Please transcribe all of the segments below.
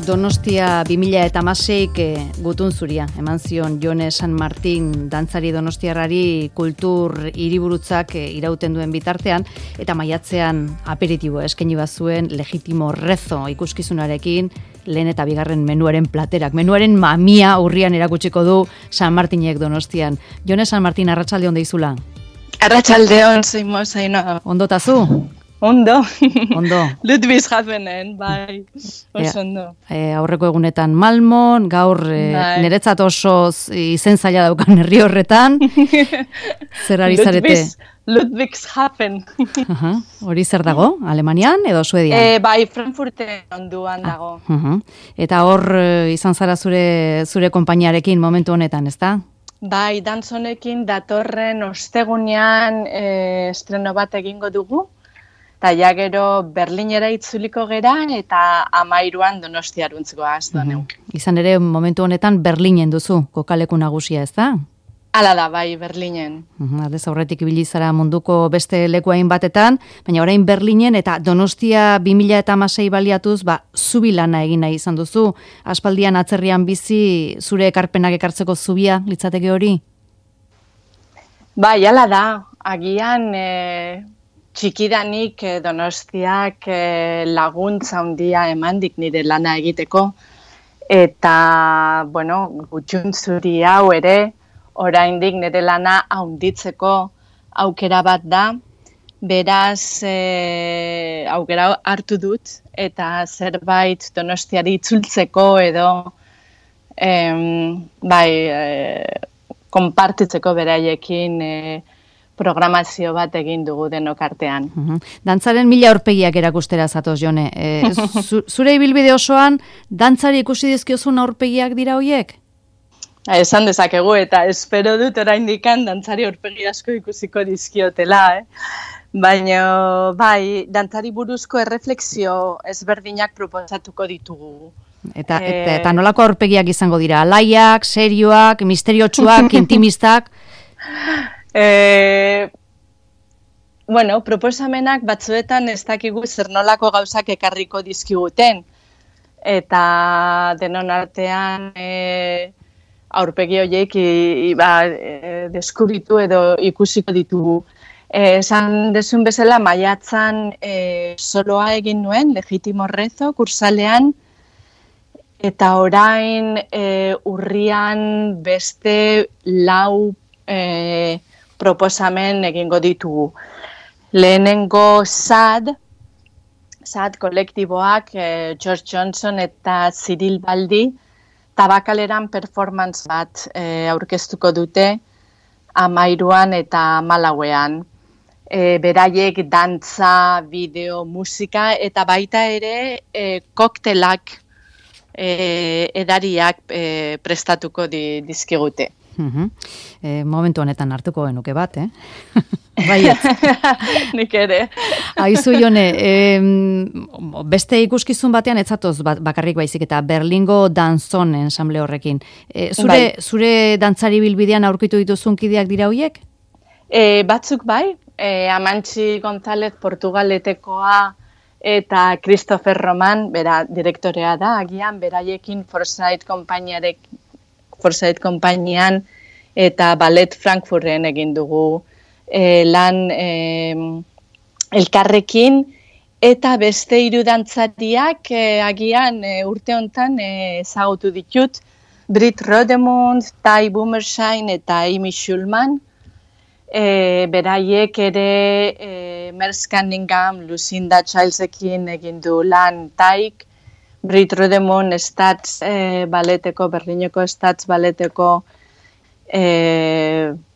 Donostia 2016 gutun zuria eman zion Jone San Martin dantzari donostiarrari kultur hiriburutzak irauten duen bitartean, eta maiatzean aperitibo eskaini bazuen Legitimo Rezo ikuskizunarekin lehen eta bigarren menuaren platerak. Menuaren mamia urrian erakutsiko du San Martinek Donostian. Jone San Martin, arratsalde on deizula. Arratsalde on, Zaino. Ondo tazu? Ondo. Ludwigshavenen, bai. Oso ondo. Aurreko egunetan Malmon, gaur niretzat oso izen zaila daukan herri horretan. Zer ari zarete? Ludwigshafen. Hori zer dago? Alemanian edo Suedian? Bai, Frankfurten onduan dago. Eta hor izan zara zure konpainiarekin momentu honetan, ezta? Bai, dantzonekin datorren ostegunean estreno bat egingo dugu. Eta ja gero Berlinera itzuliko gera eta 13an Donostiaruntzko aztoneu. Izan ere, momentu honetan Berlinen duzu, kokaleku nagusia, ez da? Hala da, bai, Berlinen. Aldez aurretik ibili zara munduko beste lekuain batetan, baina orain Berlinen eta Donostia 2016 baliatuz, zubilana egin nahi izan duzu. Aspaldian atzerrian bizi, zure ekarpenak ekartzeko zubia litzateke hori? Bai, hala da, agian txikidanik Donostiak laguntza handia emandik nire lana egiteko. Eta, gutxun zuri hau ere, oraindik nire lana handitzeko aukera bat da. Beraz, aukera hartu dut, eta zerbait Donostiari itzultzeko edo konpartitzeko beraiekin programazio bat egin dugu denok artean. Dantzaren 1000 aurpegiak erakustera zatoz, Jone. Zure ibilbide osoan, dantzari ikusi dizkiozun aurpegiak dira hoiek? Esan dezakegu, eta espero dut oraindikan dantzari aurpegi asko ikusiko dizkiotela. Baina, bai, dantzari buruzko erreflexio ezberdinak proposatuko ditugu. Eta nolako aurpegiak izango dira? Alaiak, serioak, misteriotsuak, intimistak? Proposamenak batzuetan ez dakigu zer nolako gauzak ekarriko dizkiguten. Eta denon artean aurpegi horiek deskubritu edo ikusiko ditugu. Esan dezun bezala, maiatzan soloa egin nuen, Legitimo Rezo, kursalean, eta orain urrian beste 4 proposamen egingo ditugu. Lehenengo SAD kolektiboak George Johnson eta Cyril Baldi tabakaleran performance bat aurkeztuko dute 13an eta 14an. Beraiek dantza, bideo, musika eta baita ere koktelak edariak prestatuko dizkigute. Momentu honetan hartuko genuke bat, Baiet. Nik ere. Aizu, Jone, beste ikuskizun batean etzatoz bakarrik baizik eta Berlingo danzon ensamble horrekin. Zure dantzari bilbidean aurkitu dituzun kideak dira hoiek? Batzuk bai, Amantxi González Portugaletekoa eta Christopher Roman, bera direktorea da, agian beraiekin Forsyth konpainian eta Ballet Frankfurten egin dugu lan elkarrekin, eta beste 3 dantzariak agian urte hontan ezagutu ditut, Britt Rodemund, Ty Bummershine eta Amy Schulman. Beraiek ere Merce Cunningham, Lucinda Childesekin egin du lan Tyk, Britt Rodemund balleteko, Berlineko Stats balleteko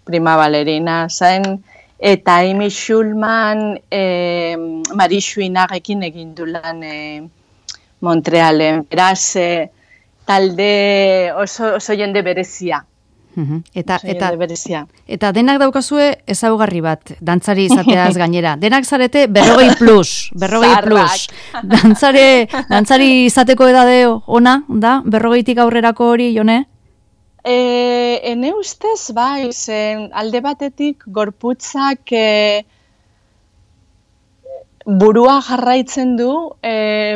prima balerina zen, eta Amy Schulman Marie Chouinarekin egin du lan Montrealen. Beraz, talde oso jende berezia. Eta denak daukazue ezaugarri bat, dantzari izateaz gainera. Denak zarete 40 plus. Dantzari izateko edade ona, da? 40tik aurrerako hori, Jone? Ene ustez, bai, zen alde batetik gorputzak burua jarraitzen du,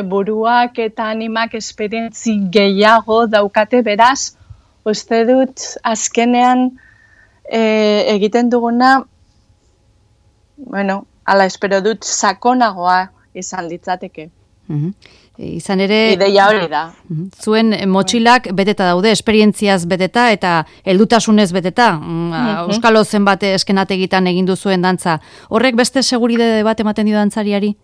buruak eta animak esperientzi gehiago daukate, beraz, uste dut azkenean egiten duguna, bueno, ala espero dut sakonagoa izan litzateke. Izan ere, ideia hori da. Zuen motxilak beteta daude, esperientziaz beteta eta heldutasunez beteta. Euskalo zenbat eskenategitan egin duzuen dantza. Horrek beste seguridade bat ematen dio dantzariari?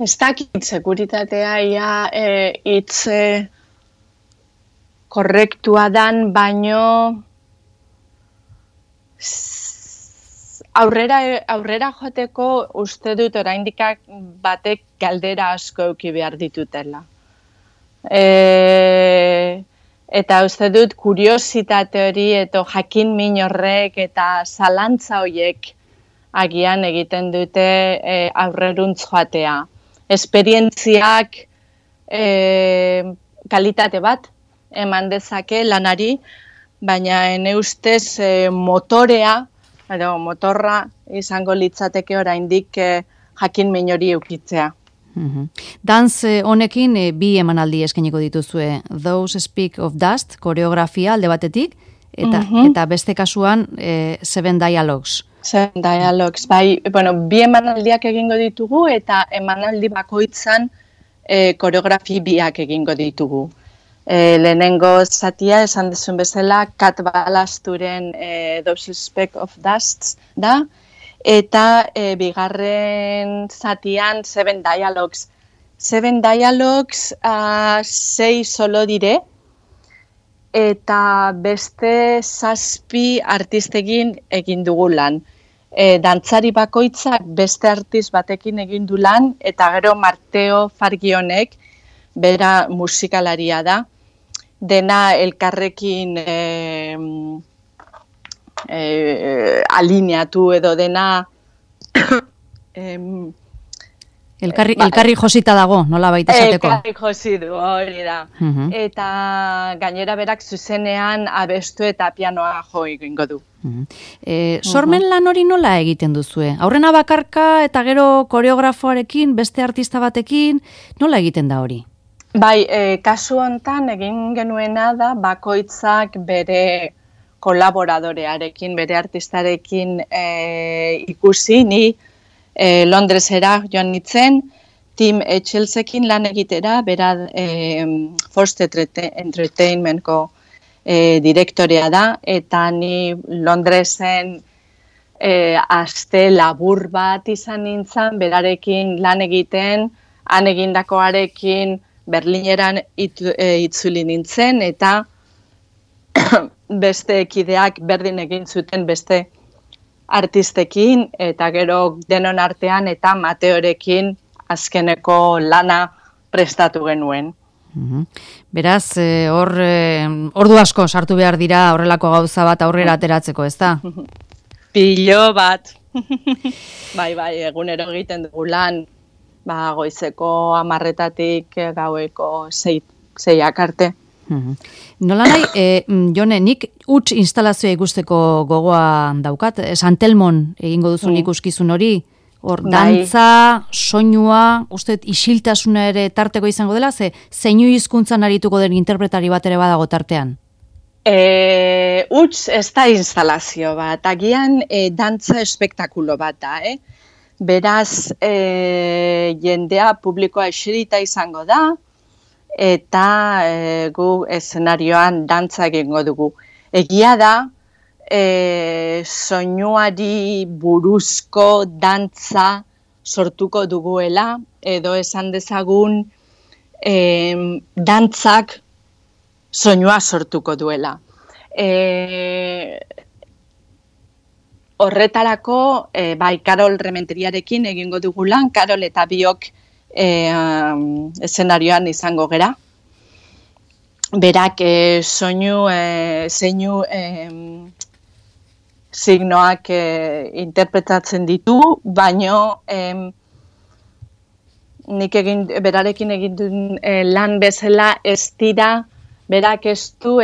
Ez dakit seguritatea ia hitz korrektua dan, baino aurrera joateko uste dut oraindik batek galdera asko eduki behar ditutela. Eta uste dut kuriositate hori eta jakin min horrek eta zalantza horiek agian egiten dute aurreruntz joatea. Esperientziak kalitate bat eman dezake lanari, baina ene ustez motorra izango litzateke oraindik jakin min hori eukitzea. Dantz honekin bi emanaldi eskainiko dituzue. Those Speak of Dust, koreografia alde batetik, eta beste kasuan Seven Dialogues. Seven Dialogues, bai, bueno, bi emanaldiak egingo ditugu eta emanaldi bakoitzan koreografi biak egingo ditugu. Lehenengo zatia, esan dezun bezala, Kat Balasturen Those Speak of Dust da, eta bigarren zatian Seven Dialogues. Seven Dialogues 6 solo dire, eta beste 7 artistekin egin dugu lan. Dantzari bakoitzak beste artist batekin egin du lan, eta gero Marteo Fargionek, bera musikalaria da, dena elkarrekin alineatu edo dena elkarri josita dago, nola baita esateko? Elkarri jositu, hori da. Eta gainera berak zuzenean abestu eta pianoa jo egingo du. Sormen lan hori nola egiten duzue? Aurrena bakarka eta gero koreografoarekin, beste artista batekin, nola egiten da hori? Bai, kasu hontan egin genuena da bakoitzak bere kolaboradorearekin, bere artistarekin ikusi, ni Londresera joan nintzen, Tim Etchelsekin lan egitera, bera Forced Entertainmentko direktorea da, eta ni Londresen aste labur bat izan nintzen, berarekin lan egiten, han egindakoarekin Berlineran itzuli nintzen, eta beste ekideak berdin egin zuten beste artistekin, eta gero denon artean eta Mateorekin azkeneko lana prestatu genuen. Beraz, ordu asko sartu behar dira horrelako gauza bat aurrera ateratzeko, ez da? Pilo bat. Bai, egunero egiten dugu lan, goizeko 10:00-tatik gaueko 6:00 arte. Nola nahi, Jone, nik huts instalazioa ikusteko gogoa daukat, Santelmon egingo duzun ikuskizun hori, hor, dantza, soinua, uste isiltasuna ere tarteko izango dela, zeinu hizkuntzan arituko den interpretari bat ere badago tartean? Huts ez da instalazio bat, agian dantza espektakulo bat da, Beraz, jendea publikoa eserita izango da, eta gu eszenarioan dantza egingo dugu. Egia da, soinuari buruzko dantza sortuko duguela, edo esan dezagun dantzak soinua sortuko duela. Horretarako, Karol Rementeriarekin egingo dugu lan, Karol eta biok eszenarioan izango gera. Berak zeinu signoak interpretatzen ditu, baino nik berarekin egin duen lan bezala ez dira, berak ez du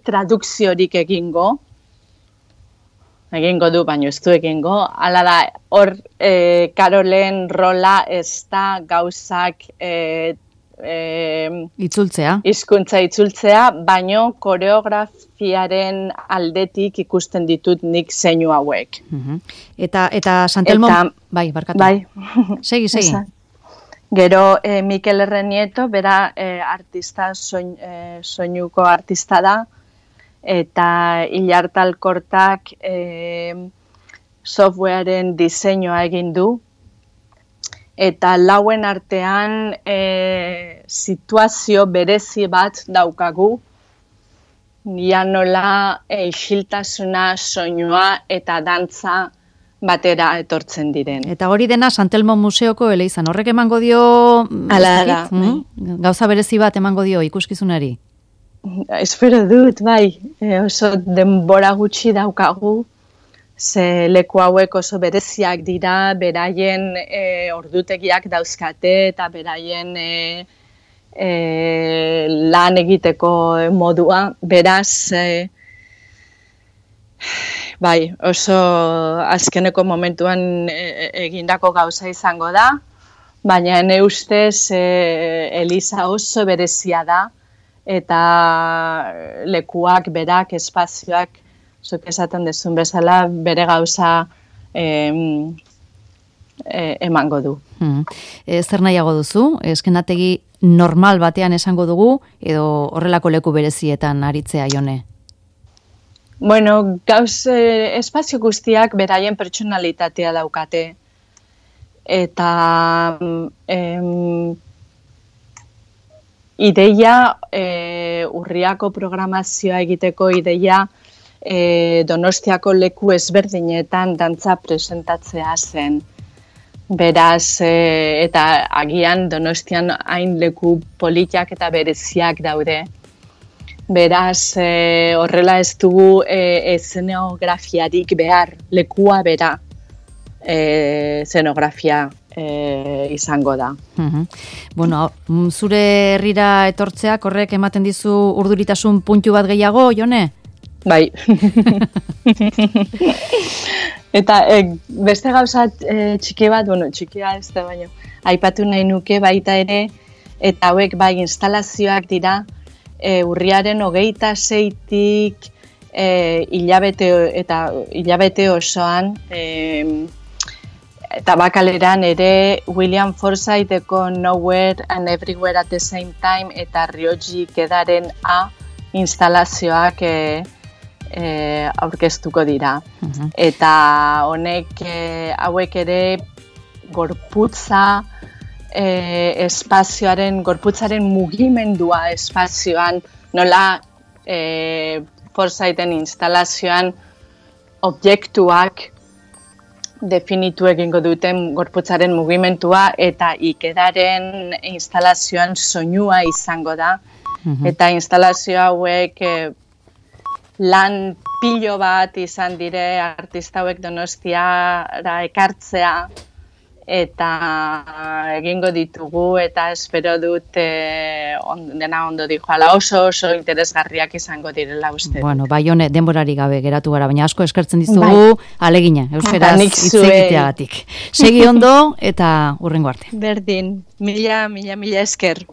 tradukziorik egingo. egingo du, baina ez du egingo. Hala da, hor Karolen rola ez da gauzak itzultzea. Hizkuntza itzultzea, baino koreografiaren aldetik ikusten ditut nik zeinu hauek. Eta Santelmo... Bai, barkatu. Bai. Segi. Gero Mikel Errenieto, bera artista, soinuko artista da, eta Ilarta Alkortak softwarearen diseinua egin du, eta lauen artean situazio berezi bat daukagu, nola isiltasuna, soinua eta dantza batera etortzen diren. Eta hori dena Santelmo Museoko eleizan, horrek emango dio... Hala da. Gauza berezi bat emango dio ikuskizunari? Espero dut, bai, oso denbora gutxi daukagu, ze leku hauek oso bereziak dira, beraien ordutegiak dauzkate eta beraien lan egiteko modua, beraz, bai, oso azkeneko momentuan egindako gauza izango da, baina ene ustez eliza oso berezia da, eta lekuak, berak, espazioak, zuk esaten dezun bezala, bere gauza emango du. Zer nahiago duzu? Eskenategi normal batean esango dugu, edo horrelako leku berezietan aritzea, Jone? Bueno, espazio guztiak beraien pertsonalitatea daukate. Eta ideia, urriako programazioa egiteko ideia, Donostiako leku ezberdinetan dantza presentatzea zen. Beraz, eta agian Donostian hain leku politiak eta bereziak daude. Beraz, horrela ez dugu eszenografiarik behar, lekua bera eszenografia izango da. Bueno, zure herrira etortzeak horrek ematen dizu urduritasun puntu bat gehiago, Jone? Bai. Eta beste gauza txiki bat, txikia ez da baino, aipatu nahi nuke baita ere, eta hauek bai instalazioak dira, urriaren 26-tik hilabete osoan, eta bakaleran ere William Forsytheko Nowhere and Everywhere at the Same Time eta Ryoji Kedaren instalazioak aurkeztuko dira. Eta honek hauek ere gorputza gorputzaren mugimendua espazioan, nola Forsythen instalazioan objektuak definitu egingo duten gorputzaren mugimentua eta Ikedaren instalazioan soinua izango da. Eta instalazio hauek lan pilo bat izan dire artista hauek Donostiara ekartzea eta egingo ditugu eta espero dut dena ondo dijoala, oso interesgarriak izango direla uste. Bueno, bai Jone, denborari gabe geratu gara, baina asko eskertzen dizugu alegina, euskeraz hitz egiteagatik. Segi ondo eta hurrengo arte. Berdin, mila esker.